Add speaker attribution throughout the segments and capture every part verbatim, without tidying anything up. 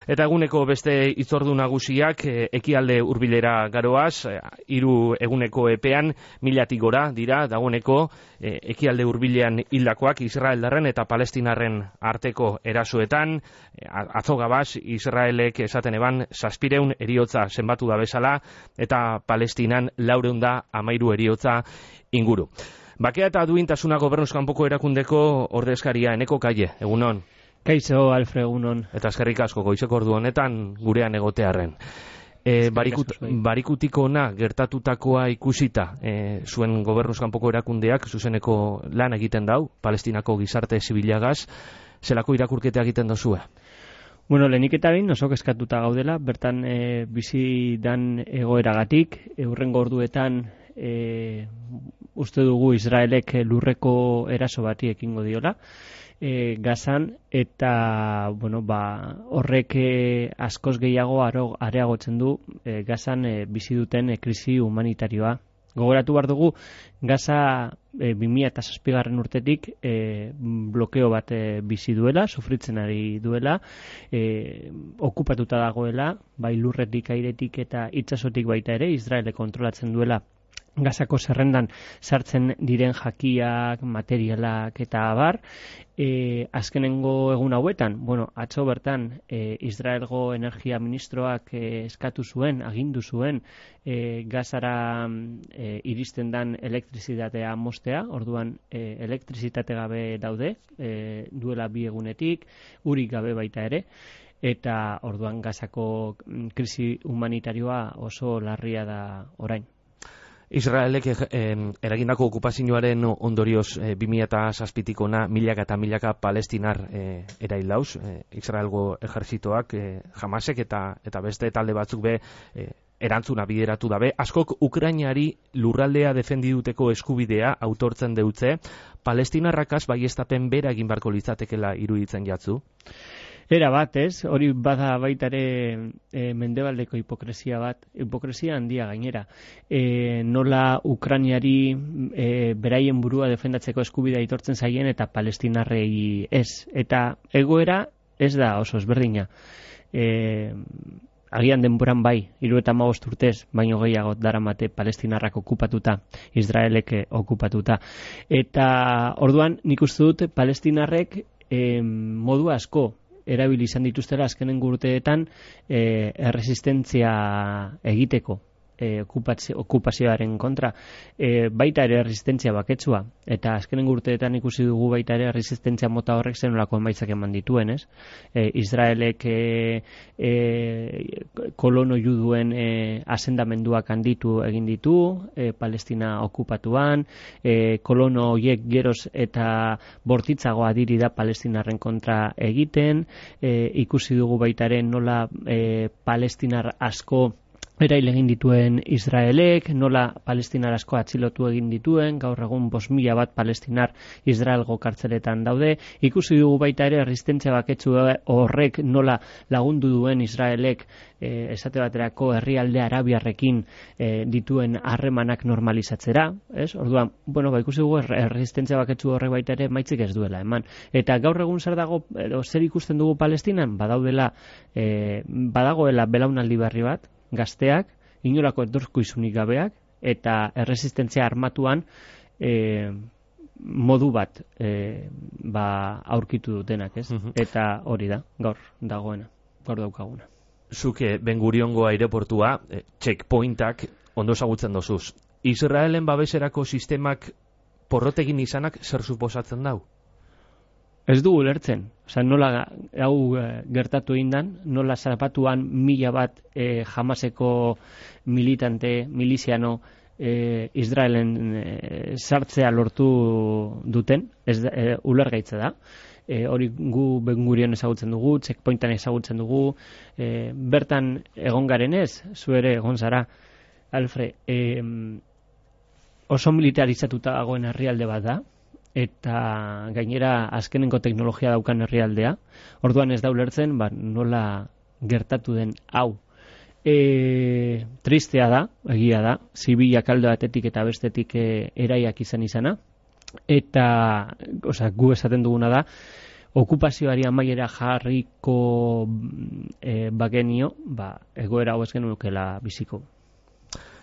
Speaker 1: Eta eguneko beste hitzordu nagusiak ekialde hurbilera garoaz, hiru eguneko epean milatik gora dira dagoeneko ekialde hurbilean hildakoak Israeldarren eta Palestinarren arteko erasoetan. Atzo gabaz Israelek esaten eban zazpireun eriotza zenbatu da bezala eta Palestinan laurehun da hamairu eriotza inguru. Bakea eta duintasuna Gobernuz kanpoko erakundeko ordezkaria Eneko Kaie, egunon.
Speaker 2: Kaixo, Alfred, egunon.
Speaker 1: Eta eskerrik asko goizeko ordu honetan gurean egotearren. E, barikut, barikutiko ona gertatutakoa ikusita, e, zuen Gobernuz kanpoko erakundeak zuzeneko lan egiten dau, Palestinako gizarte zibilagaz, zelako irakurketa egiten dozue?
Speaker 2: Bueno, lehenik eta bain oso kezkatuta gaudela, bertan e, bizi dan egoeragatik, eurrengo orduetan e, uste dugu Israelek lurreko eraso bati ekingo diola, E, Gazan, eta bueno, ba, horrek e, askoz gehiago aro, areagotzen du e, Gazan e, bizi duten e, krisi humanitarioa. Gogoratu behar dugu, Gaza e, bi mila zazpigarren urtetik e, blokeo bat e, bizi duela, sufritzen ari duela, e, okupatuta dagoela, bai lurretik, airetik eta itsasotik baita ere, Israelek kontrolatzen duela Gazako zerrendan sartzen diren jakiak, materialak eta abar. E, azkenengo egun hauetan, bueno, atzo bertan e, Israelgo energia ministroak e, eskatu zuen, agindu zuen e, Gazara e, iristen dan elektrizitatea mostea, orduan e, elektrizitate gabe daude, e, duela bi egunetik, urik gabe baita ere, eta orduan Gazako krisi humanitarioa oso larria da orain.
Speaker 1: Israelek eh, eragindako okupazioaren ondorioz eh, bi mila zazpitik ona milaka eta milaka palestinar eh, eraildauz, eh, Israelgo ejerzitoak, eh, Hamasek eta, eta beste talde batzuk be eh, erantzuna bideratu dabe. Askok Ukrainari lurraldea defendiduteko eskubidea autortzen deutze, palestinarrakaz baiestapen bera egin barko litzatekela iruditzen jatzu?
Speaker 2: Era bat, ez? Hori bada baita ere e, mendebaldeko hipokresia bat, hipokresia handia gainera. E, nola Ukrainiari e, beraien burua defendatzeko eskubidea aitortzen zaien eta palestinarrei ez. Eta egoera ez da oso ezberdina. E, agian denboran bai, hirurogeita hamabost urtez, baino gehiago daramate palestinarrak okupatuta, Israelek okupatuta. Eta orduan nik uste dut palestinarrek e, modu asko erabili izan dituztela azkenengo urteetan e, erresistentzia egiteko e, okupazio, okupazioaren kontra. E, baita ere erresistentzia baketsua, eta azkenengo urteetan ikusi dugu baita ere erresistentzia mota horrek zenolako emaitzak eman dituen, ez? E, Israelek e, e, kolono juduen e, asendamenduak handitu egin ditu, e, Palestina okupatuan, e, kolono horiek geroz eta bortitzagoa diri da palestinarren kontra egiten, e, ikusi dugu baita ere nola e, palestinar asko erail egin dituen Israelek, nola palestinar asko atxilotu egin dituen, gaur egun bost mila bat palestinar Israelgo kartzeletan daude. Ikusi dugu baita ere erresistentzia baketsu horrek nola lagundu duen Israelek e, esate baterako herrialde arabiarrekin e, dituen harremanak normalizatzera, ez? Orduan, bueno, ba, ikusi dugu erresistentzia baketsu horrek baita ere maitzik ez duela eman. Eta gaur egun zer dago, edo, zer ikusten dugu Palestinan? Badaudela, e, badagoela belaunaldi berri bat, gazteak, inolako etorkizunik gabeak, eta erresistentzia armatuan e, modu bat e, ba, aurkitu dutenak, ez? Uh-huh. Eta hori da, gaur dagoena, gaur daukaguna.
Speaker 1: Zuke Ben Guriongo aireportua, e, checkpointak ondo ezagutzen dozuz. Israelen babeserako sistemak porrotegin izanak zer suposatzen dau?
Speaker 2: Ez dugu lertzen, oza, nola hau e, gertatu indan, nola zapatuan mila bat e, Hamaseko militante, miliziano e, Israelen e, sartzea lortu duten, ez da, e, ulergaitza da. E, hori gu Ben Gurion ezagutzen dugu, checkpointan ezagutzen dugu, e, bertan egon garen ez, zu ere egon zara, Alfred, e, oso militarizatuta dagoen herrialde bat da, eta gainera azkenengo teknologia daukan herrialdea, orduan ez da ulertzen, ba, nola gertatu den hau. E, tristea da, egia da, zibilak alde batetik eta bestetik e, eraiak izan izana, eta, osea, gu esaten duguna da, okupazioari amaiera jarriko e, bagenio, ba, egoera hau ez genukela biziko.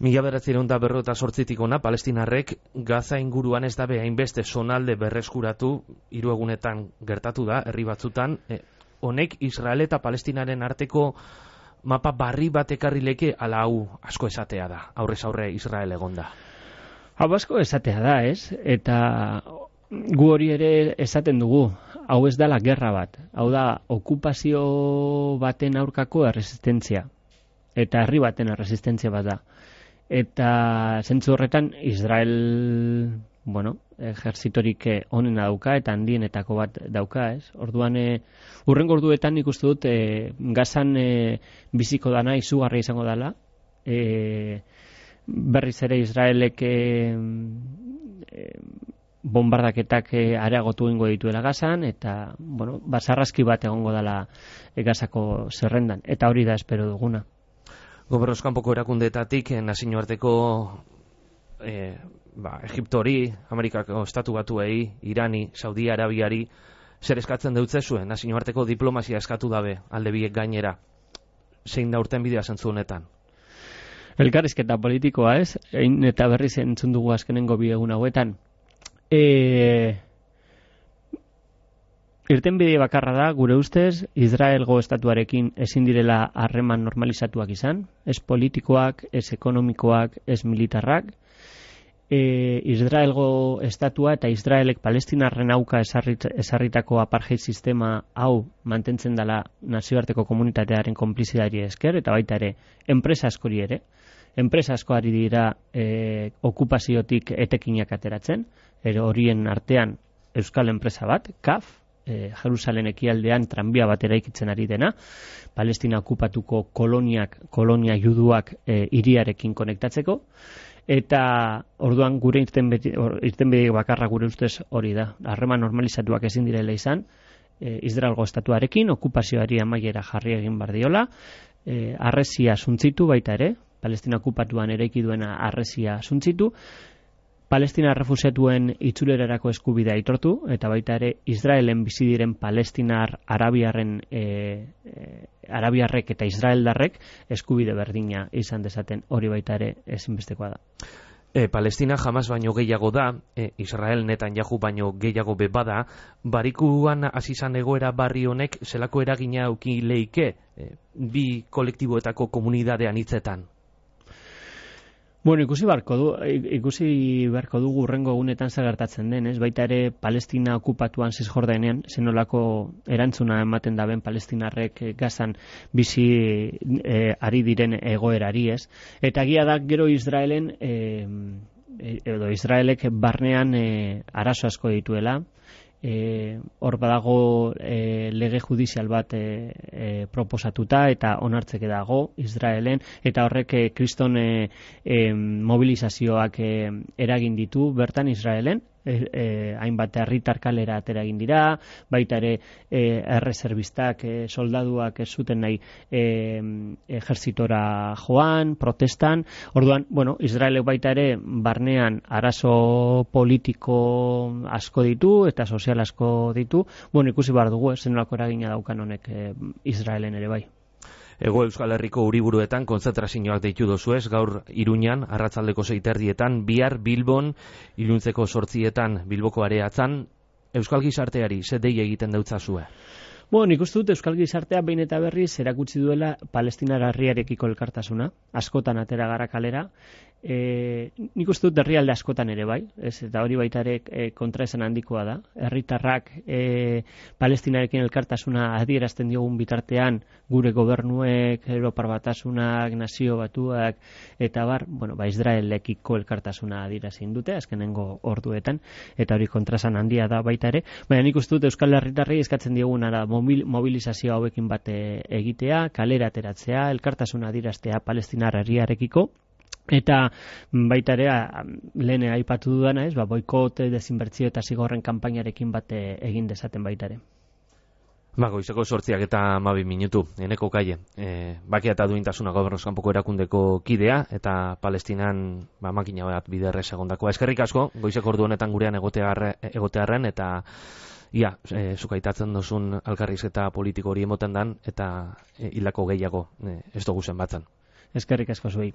Speaker 1: Mila bederatziehun eta berrogeita zortzitik ona, palestinarrek Gaza inguruan ez dabe hainbeste zonalde berreskuratu, hiru egunetan gertatu da, herri batzutan, e, honek Israel eta Palestinaren arteko mapa barri bat ekarri leke, ala hau asko esatea da, aurrez aurre Israel egonda.
Speaker 2: Hau asko esatea da, ez? Eta gu hori ere esaten dugu, hau ez dela gerra bat, hau da okupazio baten aurkako erresistentzia, eta herri baten erresistentzia bat da. Eta zentzu horretan Israel, bueno, ejerzitorik onena dauka eta handienetako bat dauka, ez? Orduan, e, urrengo orduetan nik uste dut e, Gazan e, biziko dana izugarria izango dela, e, berriz ere Israelek e, e, bombardaketak e, areagotu ingo dituela Gazan, eta, bueno, basarrazki bat egongo dela e, Gazako zerrendan, eta hori da espero duguna.
Speaker 1: Gobernuz kanpoko erakundeetatik nazioarteko e, ba, Egiptori, Amerikako estatu batuei, Irani, Saudi Arabiari, zer eskatzen deutze zuen, nazioarteko diplomazia eskatu dabe, alde biek gainera. Zein da urten bidea zentzu honetan?
Speaker 2: Elkarrizketa politikoa, ez? Ein eta berriz entzun dugu azkenengo bi egun hauetan. E... Irtenbide bakarra da, gure ustez, Israelgo estatuarekin ezin direla harreman normalizatuak izan, ez politikoak, ez ekonomikoak, ez militarrak. E, Israelgo estatua eta Israelek Palestinarren auka esarrit, esarritako apartheid sistema hau mantentzen dela nazioarteko komunitatearen konplizidari esker, eta baita ere, enpresa askori ere. Enpresa askoari dira e, okupaziotik etekinak ateratzen, ero horien artean euskal enpresa bat, K A F, E, Jerusalen ekialdean tranbia bat eraikitzen ari dena, Palestina okupatuko koloniak, kolonia juduak e, hiriarekin konektatzeko, eta orduan gure irtenbide bakarra gure ustez hori da. Harreman normalizatuak ezin direla izan, e, Israelgo estatuarekin, okupazioari amaiera jarri egin bardiola, e, harresia suntzitu baita ere, Palestina okupatuan eraiki duena harresia suntzitu, Palestina refusiatuen itzulerarako eskubidea aitortu, eta baita ere Israelen bizi diren palestinar arabiarren e, e, arabiarrek eta israeldarrek eskubide berdina izan dezaten, hori baita ere ezinbestekoa da.
Speaker 1: E, Palestina jamás baino gehiago da, e, Israel Netanyahu baino gehiago be bada, barikuan hasi izan egoera barri honek zelako eragina eduki leike e, bi kolektiboetako komunidadean hitzetan?
Speaker 2: Bueno, ikusi beharko du, ikusi beharko dugu urrengo egunetan zer gertatzen den, ez? Baita ere Palestina okupatuan Zisjordanean zenolako erantzuna ematen daben Palestinarrek Gazan bizi e, ari diren egoerari, ez? Eta egia da gero Israelen e, edo Israelek barnean e, arazo asko dituela. E, hor badago e, lege judizial bat e, e, proposatuta eta onartzeke dago Israelen, eta horrek e, kriston e, e, mobilizazioak e, eragin ditu bertan Israelen, e, e, hainbat herritar kalera atera egin dira, baita ere e, erreserbistak, e, soldaduak ez zuten nahi e, ejertzitora joan, protestan. Orduan, bueno, Israelek baita ere barnean arazo politiko asko ditu eta sozial asko ditu. Bueno, ikusi behar dugu, zenolako eragina daukan honek e, Israelen ere bai.
Speaker 1: Ego Euskal Herriko hiriburuetan kontzentrazioak deitu dozuez, gaur Iruñan, arratsaldeko seiterdietan, bihar Bilbon, iluntzeko sortzietan Bilboko areatzan, Euskal gizarteari ze dei egiten dautzazue?
Speaker 2: Bueno, nik uste dut Euskal gizartea behin eta berriz erakutsi duela Palestinar herriarekiko elkartasuna, askotan atera gara kalera, e, nik uste dut herrialde askotan ere bai, ez, eta hori baita ere e, kontraesan handikoa da. Herritarrak e, Palestinarekin elkartasuna adierazten diogun bitartean, gure gobernuek, Europar Batasunak, Nazio Batuak, eta bar, bueno, ba, Israelekiko elkartasuna adierazin dute, azkenengo orduetan, eta hori kontraesan handia da baita ere, baina nik uste dut Euskal Herritarrei eskatzen diogunara mobilizazio hauekin bat egitea, kalera ateratzea, elkartasuna adieraztea Palestinar herriarekiko, eta baita ere lehen aipatu dudana, ez, ba, boikot, desinbertzio eta zigorren kanpainarekin bat egin dezaten baita ere.
Speaker 1: Ba, goizeko sortziak eta hamabi minutu, eneko kaie. E, bakia eta duintasuna gobernuz kanpoko erakundeko kidea, eta Palestinan ba, makina bat biderrez egondakoa. Eskerrik asko, goizeko ordu honetan gurean egotearren, eta ia, e, zukaitatzen dozun alkarrizketa politiko hori emoten dan, eta e, hilako gehiago e, ez dugu zen batzan.
Speaker 2: Eskerrik asko zuei.